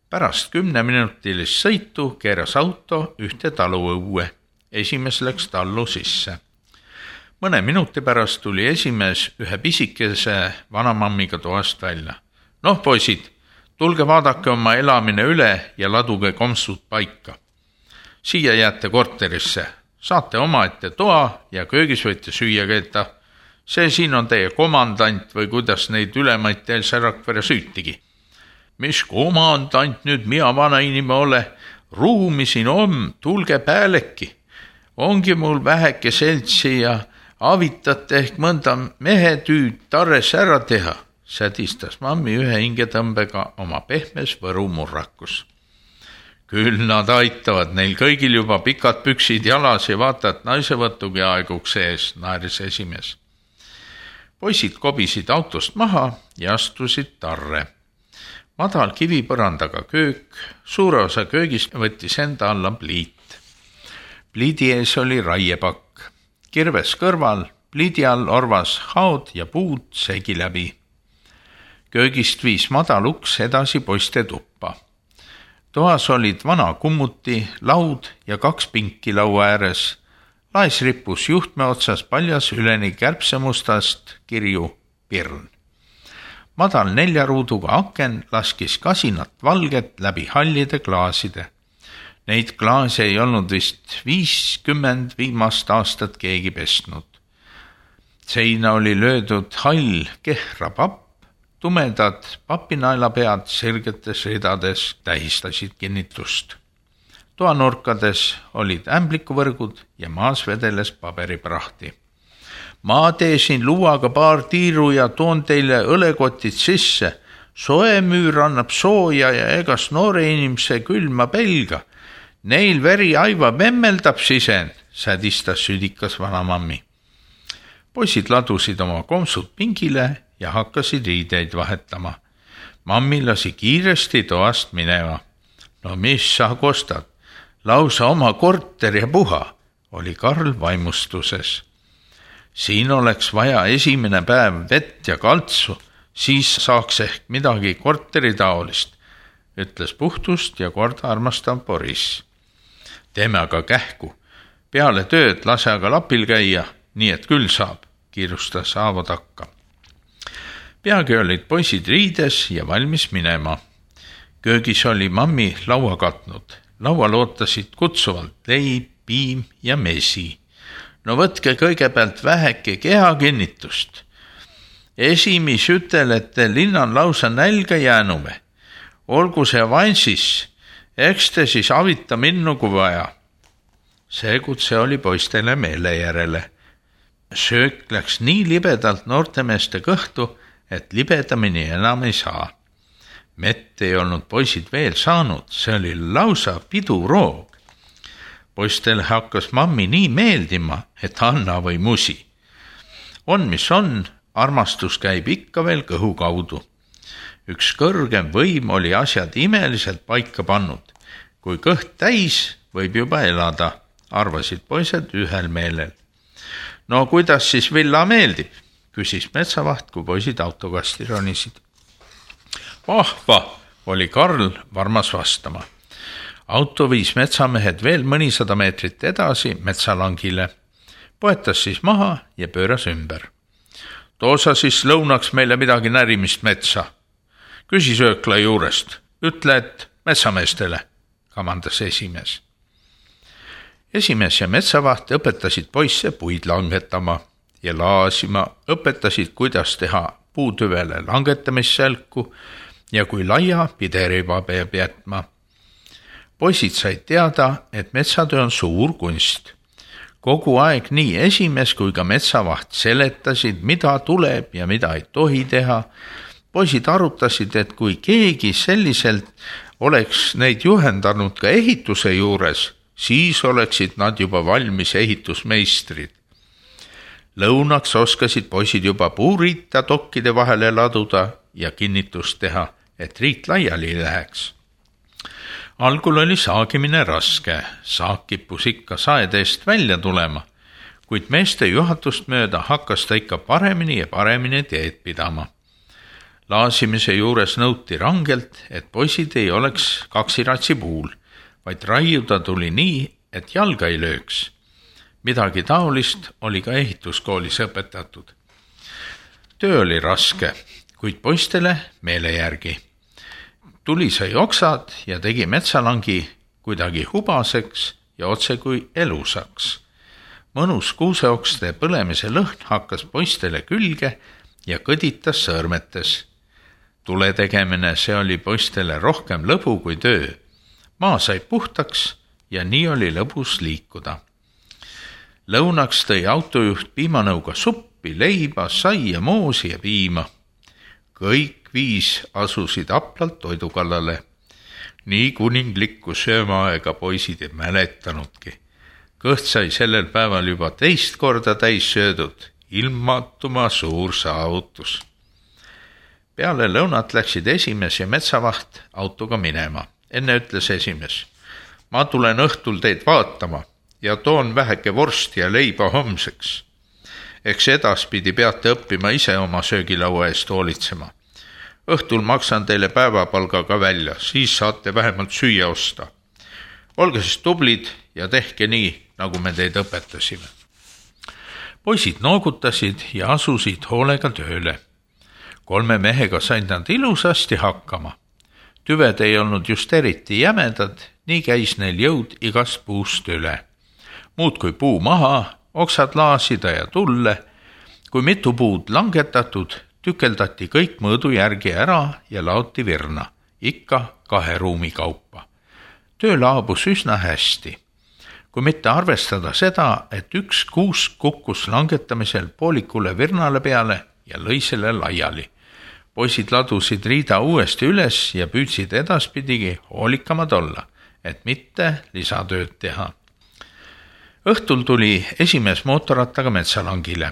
Pärast 10-minutilist sõitu keeras auto ühte taluõue. Esimees läks tallu sisse. Mõne minuti pärast tuli esimees ühe pisikese vanamammiga toast välja. Noh, poisid, tulge vaadake oma elamine üle ja laduge komsud paika. Siia jääte korterisse. Saate omaette toa ja köögis võite süüa keeta. See siin on teie komandant või kuidas neid ülemaid teil Rakvere süütigi. Mis komandant nüüd mina vana inime ole? Ruumi siin on, tulge pääleki. Ongi mul väheke seltsi ja avitate ehk mõnda mehetüüd tarres ära teha, sädistas mammi ühe hingetõmbega oma pehmes võrumurrakus. Küll nad aitavad, neil kõigil juba pikad püksid jalas ja vaata, et naisevõtugi aeguks ees, naeris esimees. Poisid kobisid autost maha ja astusid tarre. Madal kivipõrandaga köök, suure osa köögist võttis enda alla pliit. Pliidi ees oli raiepakk. Kirves kõrval, pliidi all orvas haod ja puud segi läbi. Köögist viis madal uks edasi poiste tuppa. Toas olid vana kummuti, laud ja 2 pinki laua ääres. Laes rippus juhtme otsas paljas üleni kärbsemustast kirju pirn. Madal 4 ruuduga aken laskis kasinat valget läbi hallide klaaside. Neid klaase ei olnud vist 50 viimast aastat keegi pestnud. Seina oli löödud hall kehra papp, tumedad papinaelapead sirgetes ridades tähistasid kinnitust. Toanurkades olid ämblikuvõrgud ja maas vedeles paberiprahti. Ma teesin luuaga paar tiiru ja toon teile õlekotid sisse. Soemüür annab sooja ja egas noore inimese külma pelga. Neil veri aiva memmeldab sisend, sädistas südikas vanamammi. Poisid ladusid oma komsud pingile ja hakkasid riideid vahetama. Mammi lasi kiiresti toast minema. No mis sa kostad? Lausa oma korter ja puha, oli Karl vaimustuses. Siin oleks vaja esimene päev vett ja kaltsu, siis saaks ehk midagi korteritaolist, ütles puhtust ja korda armastav Boris. Teeme aga kähku. Peale tööd lase aga lapil käia, nii et küll saab, kiirustas Aavo takka. Peagi olid poisid riides ja valmis minema. Köögis oli mammi laua katnud. Laual ootasid kutsuvalt leib, piim ja mesi. No võtke kõigepealt väheke kehakinnitust. Esimis ütelete, linna on lausa nälga jäänume. Olgu see avanssis, eks te siis avita minnugu vaja. See kutse oli poistele meele järele. Söök läks nii libedalt noortemeeste kõhtu, et libedamini enam ei saa. Mett ei olnud poisid veel saanud, see oli lausa piduroog. Poistele hakkas mammi nii meeldima, et anna või musi. On mis on, armastus käib ikka veel kõhu kaudu. Üks kõrgem võim oli asjad imeliselt paika pannud. Kui kõht täis, võib juba elada, arvasid poised ühel meelel. No kuidas siis villa meeldib, küsis metsavaht, kui poisid autokasti ronisid. Vahva, oli Karl varmas vastama. Auto viis metsamehed veel mõnisada meetrit edasi metsalangile. Poetas siis maha ja pööras ümber. Toosa siis lõunaks meile midagi närimist metsa. Küsi söökla juurest. Ütle, et metsameestele, kamandas esimees. Esimees ja metsavaht õpetasid poisse puid langetama ja laasima, õpetasid, kuidas teha puutüvele langetamissälku ja kui laia pideriba peab jätma. Poisid said teada, et metsatöö on suur kunst. Kogu aeg nii esimees kui ka metsavaht seletasid, mida tuleb ja mida ei tohi teha. Poisid arutasid, et kui keegi selliselt oleks neid juhendanud ka ehituse juures, siis oleksid nad juba valmis ehitusmeistrid. Lõunaks oskasid poisid juba puuriita tokkide vahele laduda ja kinnitust teha, et riit laiali läheks. Algul oli saagimine raske, saak kippus ikka saedeest välja tulema, kuid meeste juhatust mööda hakkas ta ikka paremini ja paremini teed pidama. Laasimise juures nõuti rangelt, et poisid ei oleks kaksiratsi puul, vaid raiuda tuli nii, et jalga ei lööks. Midagi taolist oli ka ehituskoolis õpetatud. Töö oli raske, kuid poistele meele järgi. Tuli sai oksad ja tegi metsalangi kuidagi hubaseks ja otse kui elusaks. Mõnus kuuseokste põlemise lõhn hakkas poistele külge ja kõditas sõõrmetes. Tule tegemine, see oli poistele rohkem lõbu kui töö. Maa sai puhtaks ja nii oli lõbus liikuda. Lõunaks tõi autojuht piimanõuga suppi, leiba, saia, moosi ja piima. Kõik 5 asusid aplalt toidu kallale. Nii kuninglikku söömaaega poisid ei mäletanudki. Kõht sai sellel päeval juba 2 korda täis söödud, ilmatuma suur saavutus. Peale lõunat läksid esimees ja metsavaht autoga minema. Enne ütles esimees, ma tulen õhtul teid vaatama ja toon väheke vorsti ja leiba homseks. Eks edaspidi peate õppima ise oma söögilaua eest hoolitsema. Õhtul maksan teile päevapalga ka välja, siis saate vähemalt süüa osta. Olge siis tublid ja tehke nii, nagu me teid õpetasime. Poisid noogutasid ja asusid hoolega tööle. 3 mehega said nad ilusasti hakkama. Tüved ei olnud just eriti jämedad, nii käis neil jõud igast puust üle. Muud kui puu maha, oksad laasida ja tulle. Kui mitu puud langetatud, tükeldati kõik mõõdu järgi ära ja laoti virna, ikka 2 ruumi kaupa. Töö laabus üsna hästi. Kui mitte arvestada seda, et 1 kuusk kukkus langetamisel poolikule virnale peale ja lõi selle laiali. Poisid ladusid riida uuesti üles ja püüdsid edaspidigi hoolikamad olla, et mitte lisatööd teha. Õhtul tuli esimees mootorrattaga metsalangile.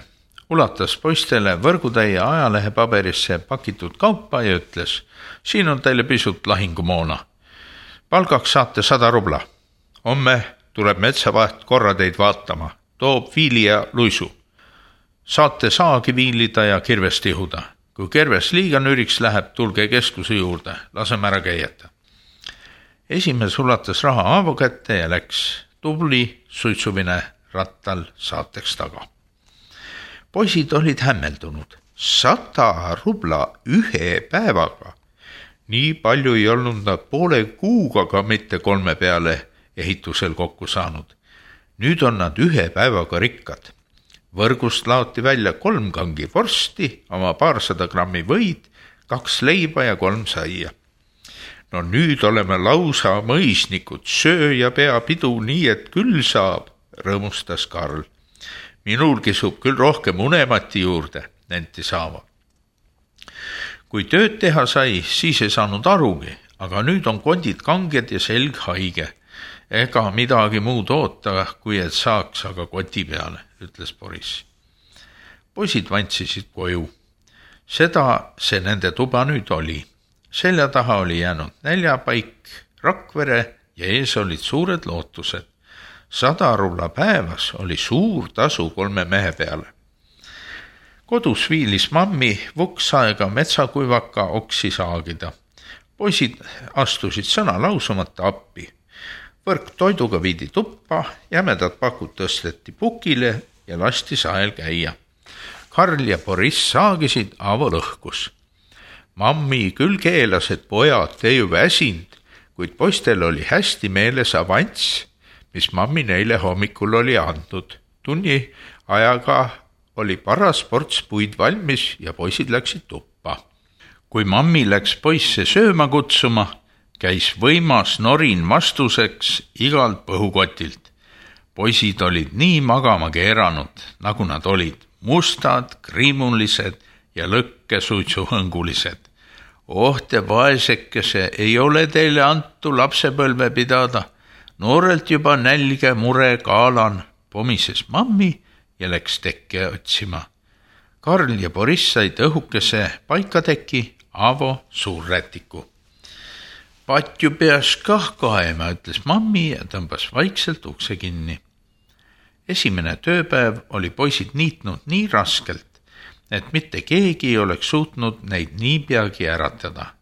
Ulatas poistele võrgutäie ajalehepaberisse pakitud kaupa ja ütles, siin on teile pisut lahingumoona. Palgaks saate 100 rubla. Homme tuleb metsavaht korra teid vaatama, toob viili ja luisu. Saate saagi viilida ja kirvest ihuda. Kui kerves liiga nüriks läheb, tulge keskuse juurde, laseme ära käieta. Esimees ulatas raha Aavo kätte ja läks tubli suitsuvine rattal saateks taga. Poisid olid hämmeldunud. 100 rubla 1 päevaga. Nii palju ei olnud nad poole kuuga ka mitte 3 peale ehitusel kokku saanud. Nüüd on nad 1 päevaga rikkad. Võrgust laoti välja 3 kangi vorsti, oma 200 grammi võid, 2 leiba ja 3 saia. No nüüd oleme lausa mõisnikud, söö ja pea pidu nii, et küll saab, rõõmustas Karl. Minul kisub küll rohkem unemati juurde, nentis Aavo. Kui tööd teha sai, siis ei saanud arugi, aga nüüd on kondid kanged ja selg haige. Ega midagi muud oota, kui et saaks aga koti peale, ütles Boris. Poisid vantsisid koju. Seda see nende tuba nüüd oli. Selja taha oli jäänud näljapaik, Rakvere ja ees olid suured lootused. 100 rubla päevas oli suur tasu 3 mehe peale. Kodus viilis mammi vuksaega metsakuivaka oksi saagida. Poisid astusid sõna lausumata appi. Võrk toiduga viidi tuppa, jämedad pakud tõsteti pukile ja lasti sael käia. Karl ja Boris saagisid, Aavo lõhkus. Mammi küll keelas, et pojad, te ju väsind, kuid poistel oli hästi meeles avants, mis mammi neile hommikul oli andnud. Tunni ajaga oli paras ports puid valmis ja poisid läksid tuppa. Kui mammi läks poisse sööma kutsuma, käis võimas norin vastuseks igalt põhukotilt. Poisid olid nii magama keeranud, nagu nad olid, mustad, kriimulised ja lõkkesuitsuhõngulised. Oh, te vaesekese, ei ole teile antu lapsepõlve pidada. Noorelt juba nälge mure kaalan, pomises mammi ja läks tekke otsima. Karl ja Boris said õhukese paikateki, Aavo suurrätiku. Patju peas kah kaema, ütles mammi ja tõmbas vaikselt ukse kinni. Esimene tööpäev oli poisid niitnud nii raskelt, et mitte keegi ei oleks suutnud neid niipeagi äratada.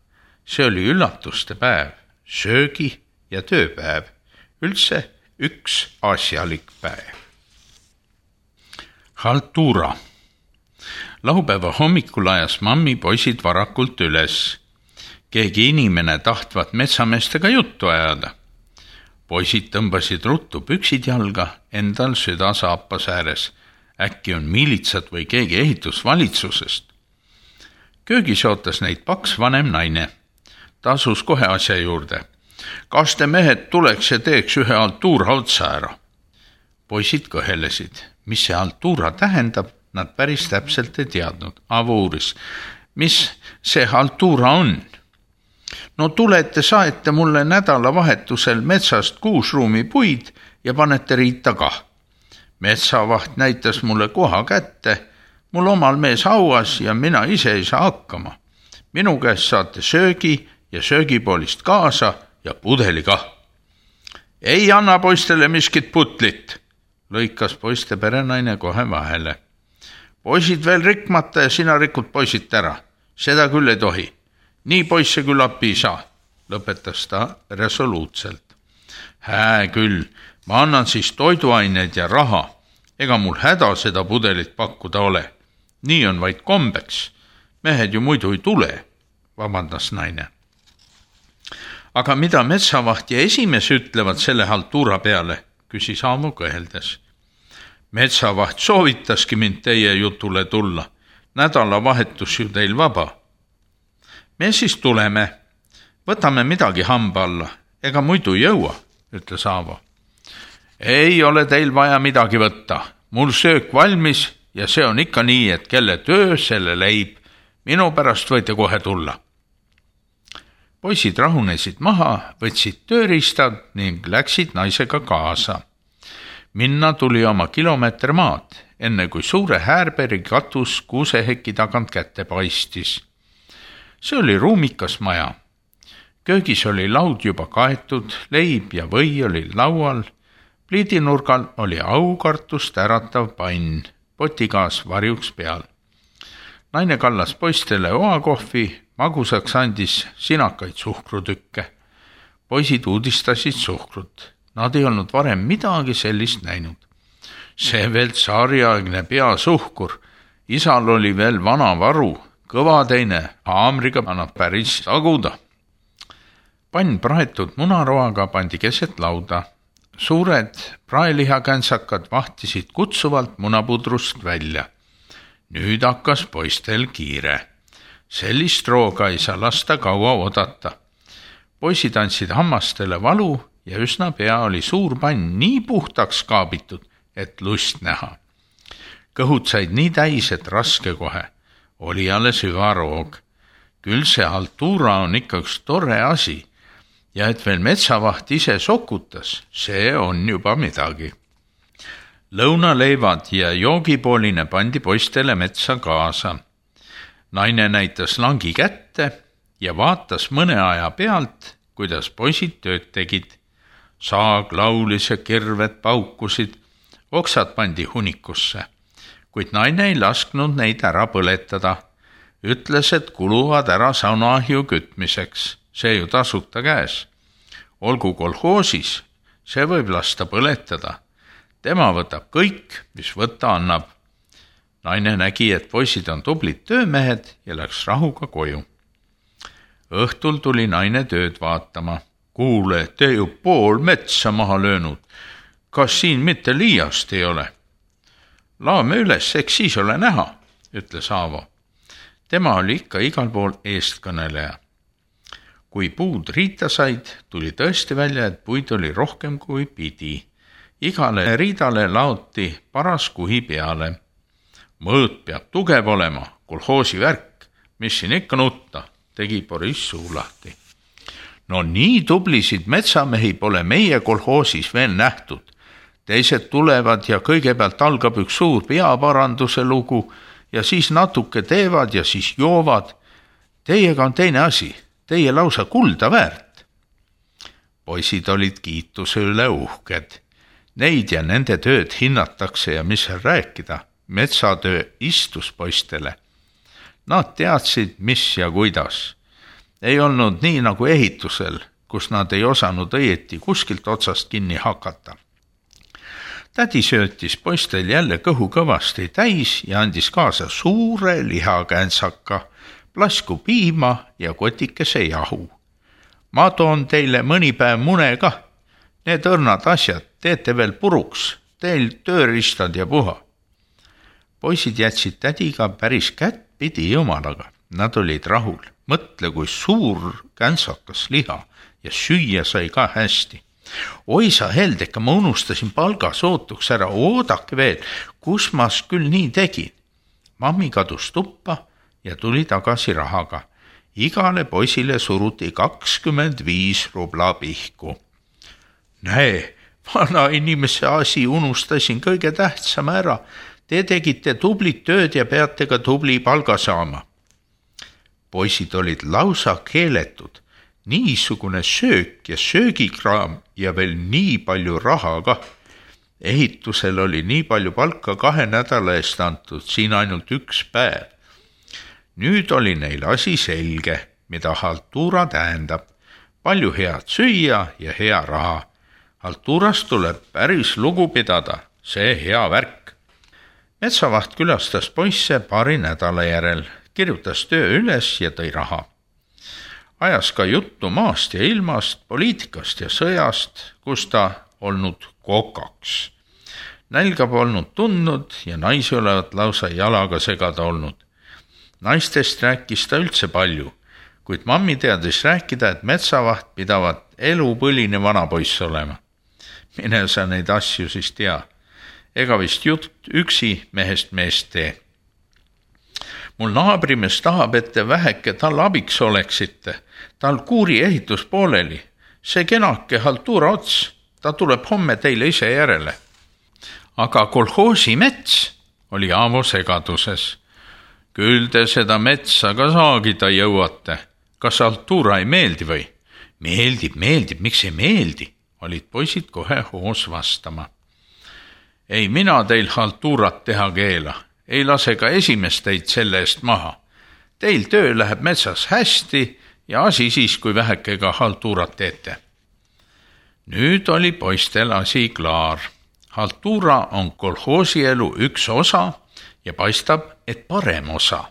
See oli üllatuste päev, söögi ja tööpäev, üldse üks asjalik päev. Haltuura. Laupäeva hommikul ajas mammi poisid varakult üles. Keegi inimene tahtvat metsameestega juttu ajada. Poisid tõmbasid ruttu püksid jalga, endal süda saapas ääres. Äkki on miilitsad või keegi ehitusvalitsusest. Köögis ootas neid paks vanem naine. Ta asus kohe asja juurde. Kas te mehed tuleks ja teeks ühe haltuura otsa ära? Poisid kõhelesid. Mis see haltuura tähendab, nad päris täpselt ei teadnud. Avo uuris, mis see haltuura on? No tulete, saete mulle nädalavahetusel metsast 6 ruumi puid ja panete riita kah. Metsavaht näitas mulle koha kätte, mul omal mees hauas ja mina ise ei saa hakkama. Minu käest saate söögi ja söögipoolist kaasa ja pudeli kah. Ei anna poistele miskit putlit, lõikas poiste perenaine kohe vahele. Poisid veel rikmata ja sina rikud poisid ära. Seda küll ei tohi. Nii poisse küll appi ei saa, lõpetas ta resoluutselt. Hää küll, ma annan siis toiduaineid ja raha. Ega mul häda seda pudelit pakkuda ole. Nii on vaid kombeks. Mehed ju muidu ei tule, vabandas naine. Aga mida metsavaht ja esimees ütlevad selle haltuura peale, küsis Aamo kõheldes. Metsavaht soovitaski mind teie jutule tulla. Nädalavahetus ju teil vaba. Me siis tuleme. Võtame midagi hamba alla. Ega muidu jõua, ütles Aavo. Ei ole teil vaja midagi võtta. Mul söök valmis ja see on ikka nii, et kelle töö, selle leib. Minu pärast võite kohe tulla. Poisid rahunesid maha, võtsid tööriistad ning läksid naisega kaasa. Minna tuli oma kilomeeter maad, enne kui suure Häärberi katus kuuseheki tagant kätte paistis. See oli ruumikas maja. Köögis oli laud juba kaetud, leib ja või oli laual. Pliidinurgal oli aukartust äratav pann, potigaas varjuks peal. Naine kallas poistele oakohvi, magusaks andis sinakaid suhkrutükke. Poisid uudistasid suhkrut. Nad ei olnud varem midagi sellist näinud. See veel tsaariaegne peasuhkur. Isal oli veel vana varu, kõva teine, haamriga annab päris taguda. Pann praetud munaroaga pandi keset lauda. Suured praelihakänsakad vahtisid kutsuvalt munapudrust välja. Nüüd hakkas poistel kiire. Sellist rooga ei saa lasta kaua oodata. Poisid andsid hammastele valu ja üsna pea oli suur pann nii puhtaks kaabitud, et lust näha. Kõhud said nii täis, et raske kohe. Oli alles hüva roog. Küll see haltuura on ikka üks tore asi ja et veel metsavaht ise sokutas, see on juba midagi. Lõunaleivad ja joogipooline pandi poistele metsa kaasa. Naine näitas langi kätte ja vaatas mõne aja pealt, kuidas poisid tööd tegid. Saag laulis ja kirved paukusid, oksad pandi hunikusse, kuid naine ei lasknud neid ära põletada. Ütles, et kuluvad ära saunaahju kütmiseks, see ju tasuta käes. Olgu kolhoosis, see võib lasta põletada. Tema võtab kõik, mis võtta annab. Naine nägi, et poisid on tublid töömehed ja läks rahuga koju. Õhtul tuli naine tööd vaatama. Kuule, te ju pool metsa maha löönud. Kas siin mitte liiast ei ole? Laame üles, eks siis ole näha, ütles Aavo. Tema oli ikka igal pool eestkõneleja. Kui puud riita said, tuli tõesti välja, et puid oli rohkem kui pidi. Igale riidale laoti paras kuhi peale. Mõõt peab tugev olema, kolhoosi värk, mis siin ikka nutta, tegi Boris suu lahti. No nii tublisid metsamehi pole meie kolhoosis veel nähtud. Teised tulevad ja kõigepealt algab üks suur peaparanduse lugu ja siis natuke teevad ja siis joovad. Teiega on teine asi, teie lausa kulda väärt. Poisid olid kiituse üle uhked. Neid ja nende tööd hinnatakse ja mis seal rääkida. metsatöö istus poistele. Nad teadsid, mis ja kuidas. Ei olnud nii nagu ehitusel, kus nad ei osanud õieti kuskilt otsast kinni hakata. Tädi söötis poistel jälle kõhu kõvasti täis ja andis kaasa suure lihakänsaka, plasku piima ja kotikese jahu. Ma toon teile mõni päev mune kah. Need õrnad asjad teete veel puruks, teil tööriistad ja puha. Poisid jätsid tädiga päris kättpidi jumalaga. Nad olid rahul. Mõtle, kui suur käntsakas liha ja süüa sai ka hästi. Oi sa Heldeka, ma unustasin palgasootuks ära, oodake veel, kus ma küll nii tegin. Mammi kadus tuppa ja tuli tagasi rahaga. Igale poisile suruti 25 rubla pihku. Näe, vana inimese asi unustasin kõige tähtsama ära. Te tegite tublit tööd ja peate ka tubli palga saama. Poisid olid lausa keeletud. Niisugune söök ja söögikraam ja veel nii palju raha ka. Ehitusel oli nii palju palka 2 nädala eest antud, siin ainult 1 päev. Nüüd oli neil asi selge, mida haltuura tähendab. Palju head süüa ja hea raha. Haltuurast tuleb päris lugu pidada, see hea värk. Metsavaht külastas poisse paari nädala järel, kirjutas töö üles ja tõi raha. Ajas ka juttu maast ja ilmast, poliitikast ja sõjast, kus ta olnud kokaks. Nälga polnud tundnud ja naisi olevat lausa jalaga segada olnud. Naistest rääkis ta üldse palju, kuid mammi teadis rääkida, et metsavaht pidavat elupõline vanapoiss olema. Mine sa neid asju siis tea. Ega vist jutt üksi mehest meest tee. Mul naabrimees tahab, et te väheke tal abiks oleksite. Tal kuuri ehitus pooleli. See kenake haltuura ots, ta tuleb homme teile ise järele. Aga kolhoosi mets oli Aavo segaduses. Küll te seda metsa ka saagida jõuate. Kas haltuura ei meeldi või? Meeldib, miks ei meeldi? Olid poisid kohe hoos vastama. Ei mina teil haltuurat teha keela. Ei lase ka esimest teid selle eest maha. Teil töö läheb metsas hästi ja asi siis, kui vähekega haltuurat teete. Nüüd oli poistel asi klaar. Haltuura on kolhoosielu üks osa ja paistab, et parem osa.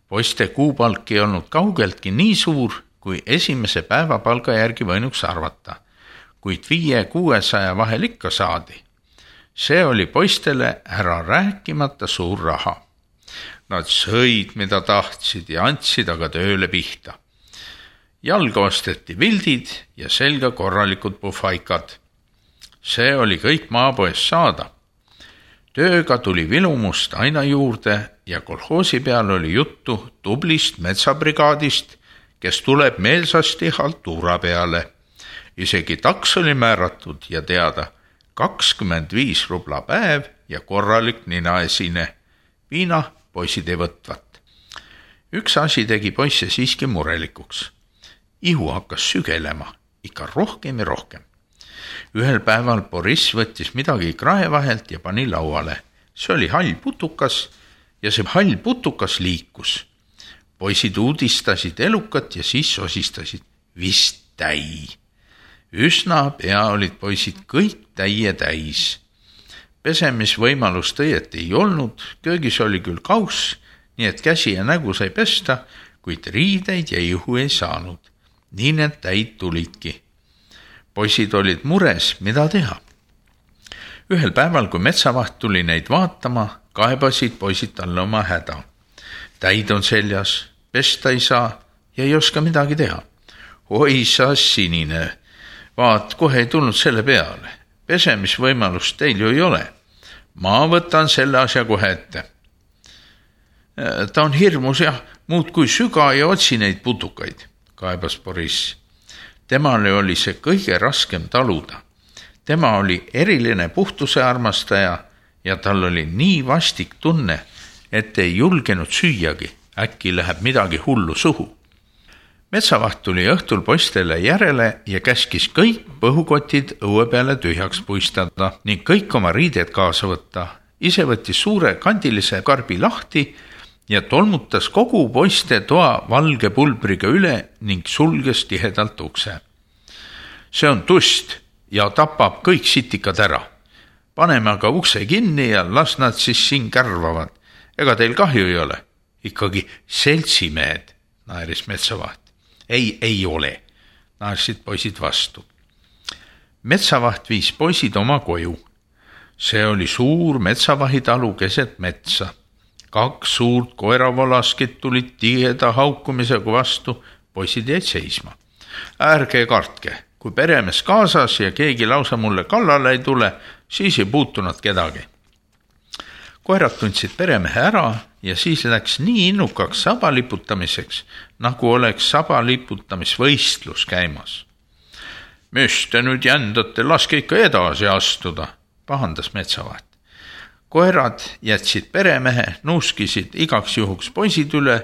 Poiste kuupalk ei olnud kaugeltki nii suur, kui esimese päevapalga järgi võinuks arvata, kuid 500-600 vahel ikka saadi. See oli poistele ära rääkimata suur raha. Nad sõid, mida tahtsid ja andsid aga tööle pihta. Jalga osteti vildid ja selga korralikud pufaikad. See oli kõik maapoes saada. Tööga tuli vilumust aina juurde ja kolhoosi peal oli juttu tublist metsabrigaadist, kes tuleb meelsasti haltuura peale. Isegi taks oli määratud ja teada 25 rubla päev ja korralik ninaesine. Viina poisid ei võtvat. Üks asi tegi poisse siiski murelikuks. Ihu hakkas sügelema, ikka rohkem ja rohkem. Ühel päeval Boris võttis midagi krae vahelt ja pani lauale. See oli hall putukas ja see hall putukas liikus. Poisid uudistasid elukat ja siis osistasid. Vist täi. Üsna pea olid poisid kõik täie täis. Pesemisvõimalust õieti ei olnud, köögis oli küll kauss, nii et käsi ja nägu sai pesta, kuid riideid ja ihu ei saanud. Nii need täid tulidki. Poisid olid mures, mida teha. Ühel päeval, kui metsavaht tuli neid vaatama, kaebasid poisid talle oma häda. Täid on seljas, pesta ei saa ja ei oska midagi teha. Oi sa sinine, vaat kohe ei tulnud selle peale. Pesemisvõimalust teil ju ei ole. Ma võtan selle asja kohe ette. Ta on hirmus jah, muud kui süga ja otsi neid putukaid, kaebas Boris. Temale oli see kõige raskem taluda. Tema oli eriline puhtuse armastaja ja tal oli nii vastik tunne, et ei julgenud süüagi. Äkki läheb midagi hullu suhu. Metsavaht tuli õhtul poistele järele ja käskis kõik põhukotid õue peale tühjaks puistada ning kõik oma riided kaasa võtta ise võttis suure kandilise karbi lahti ja tolmutas kogu poiste toa valge pulbriga üle ning sulges tihedalt ukse. See on tust ja tapab kõik sitikad ära. Paneme aga ukse kinni ja las nad siis siin kärvavad. Ega teil kahju ei ole? Ikkagi seltsimehed, naeris metsavaht. Ei ole, naersid poisid vastu. Metsavaht viis poisid oma koju. See oli suur metsavahitalu keset metsa. 2 suurt koeravolaskit tulid tiheda haukumisega vastu, poisid jäid seisma. Ärge kartke, kui peremees kaasas ja keegi lausa mulle kallale ei tule, siis ei puutunud kedagi. Koerad tundsid peremehe ära ja siis läks nii innukaks sabaliputamiseks, nagu oleks sabaliputamisvõistlus käimas. Mis te nüüd jändate, laske ikka edasi astuda, pahandas metsavaht. Koerad jätsid peremehe, nuuskisid igaks juhuks poisid üle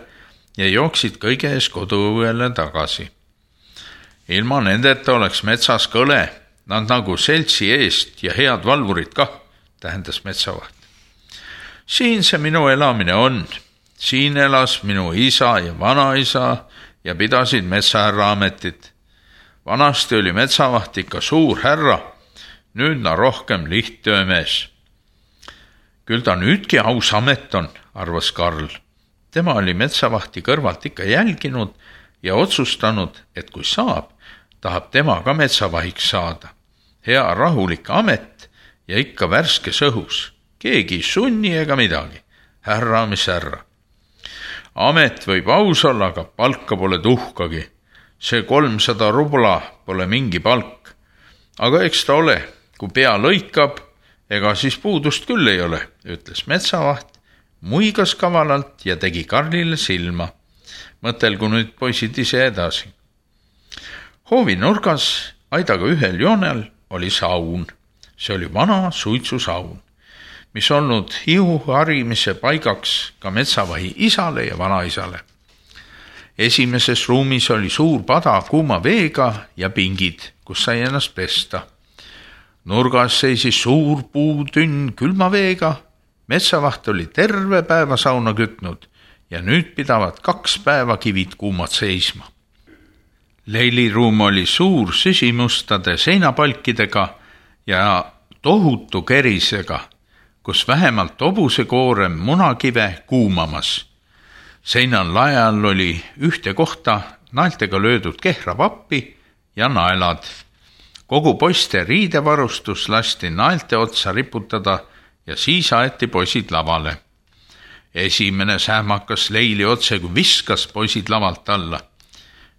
ja jooksid kõige ees koduõuele tagasi. Ilma nendeta oleks metsas kõle, nad nagu seltsi eest ja head valvurid kah, tähendas metsavaht. Siin see minu elamine on. Siin elas minu isa ja vanaisa ja pidasid metsahärra ametit. Vanasti oli metsavaht ikka suur härra, nüüd na rohkem lihttöömees. Küll ta nüüdki aus amet on, arvas Karl. Tema oli metsavahti kõrvalt ikka jälginud ja otsustanud, et kui saab, tahab tema ka metsavahiks saada. Hea rahulik amet ja ikka värskes õhus. Keegi sunni ega midagi. Härra, mis härra. Amet võib aus olla, aga palka pole tuhkagi. See 300 rubla pole mingi palk. Aga eks ta ole, kui pea lõikab, ega siis puudust küll ei ole, ütles metsavaht, muigas kavalalt ja tegi Karlile silma. Mõtelgu nüüd poisid ise edasi. Hoovi nurgas aidaga ühel joonel oli saun. See oli vana suitsusaun, mis olnud hiu harimise paigaks ka metsavahi isale ja vanaisale. Esimeses ruumis oli suur pada kuuma veega ja pingid, kus sai ennast pesta. Nurgas seisis suur puutünn külma veega, metsavaht oli terve päeva sauna kütnud ja nüüd pidavad 2 päeva kivid kuumad seisma. Leiliruum oli suur süsimustade seinapalkidega ja tohutu kerisega, kus vähemalt hobusekoorem munakive kuumamas. Seinal laial oli ühte kohta naeltega löödud kehravappi ja naelad. Kogu poiste riidevarustus lasti naelte otsa riputada ja siis aeti poisid lavale. Esimene sähmakas Leili otse, kui viskas poisid lavalt alla.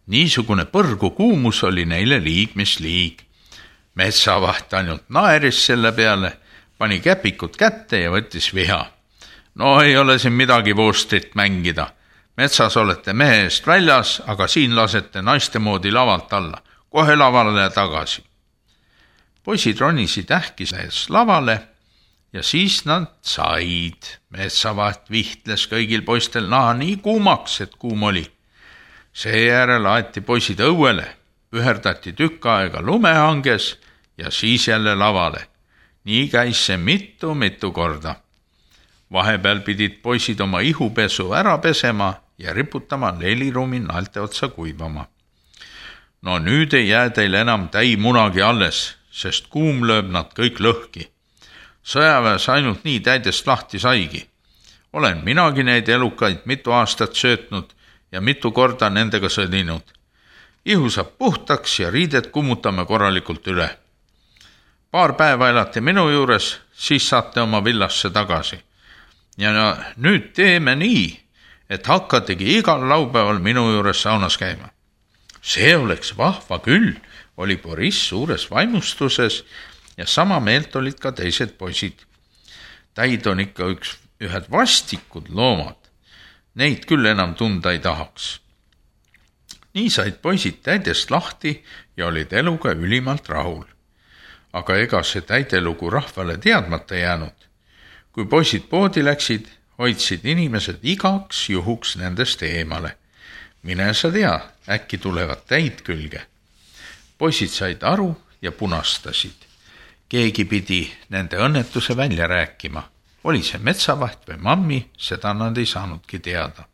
Niisugune põrgu kuumus oli neile liig, mis liig. Metsavaht ainult naeris selle peale, pani käpikud kätte ja võttis viha. No ei ole siin midagi voostrit mängida. Metsas olete mehe eest väljas, aga siin lasete naiste moodi lavalt alla. Kohe lavale tagasi. Poisid ronisid ähkises lavale ja siis nad said. Metsavaht vihtles kõigil poistel naha nii kuumaks, et kuum oli. Seejärel aeti poisid õuele, üherdati tükk aega lumehanges ja siis jälle lavale. Nii käis see mitu korda. Vahepeal pidid poisid oma ihupesu ära pesema ja riputama leiliruumi naelte otsa kuivama. No nüüd ei jää teil enam täi munagi alles, sest kuum lööb nad kõik lõhki. Sõjaväes ainult nii täidest lahti saigi. Olen minagi neid elukaid mitu aastat söötnud ja mitu korda nendega sõdinud. Ihu saab puhtaks ja riidet kummutame korralikult üle. Paar päeva elate minu juures, siis saate oma villasse tagasi. Ja nüüd teeme nii, et hakkategi igal laupäeval minu juures saunas käima. See oleks vahva küll, oli Boris suures vaimustuses ja sama meelt olid ka teised poisid. Täid on ikka ühed vastikud loomad. Neid küll enam tunda ei tahaks. Nii said poisid täidest lahti ja olid eluga ülimalt rahul. Aga ega see täidelugu rahvale teadmata jäänud. Kui poisid poodi läksid, hoidsid inimesed igaks juhuks nendest eemale. Mine sa tea, äkki tulevad täid külge. Poisid said aru ja punastasid. Keegi pidi nende õnnetuse välja rääkima. oli see metsavaht või mammi, seda nad ei saanudki teada.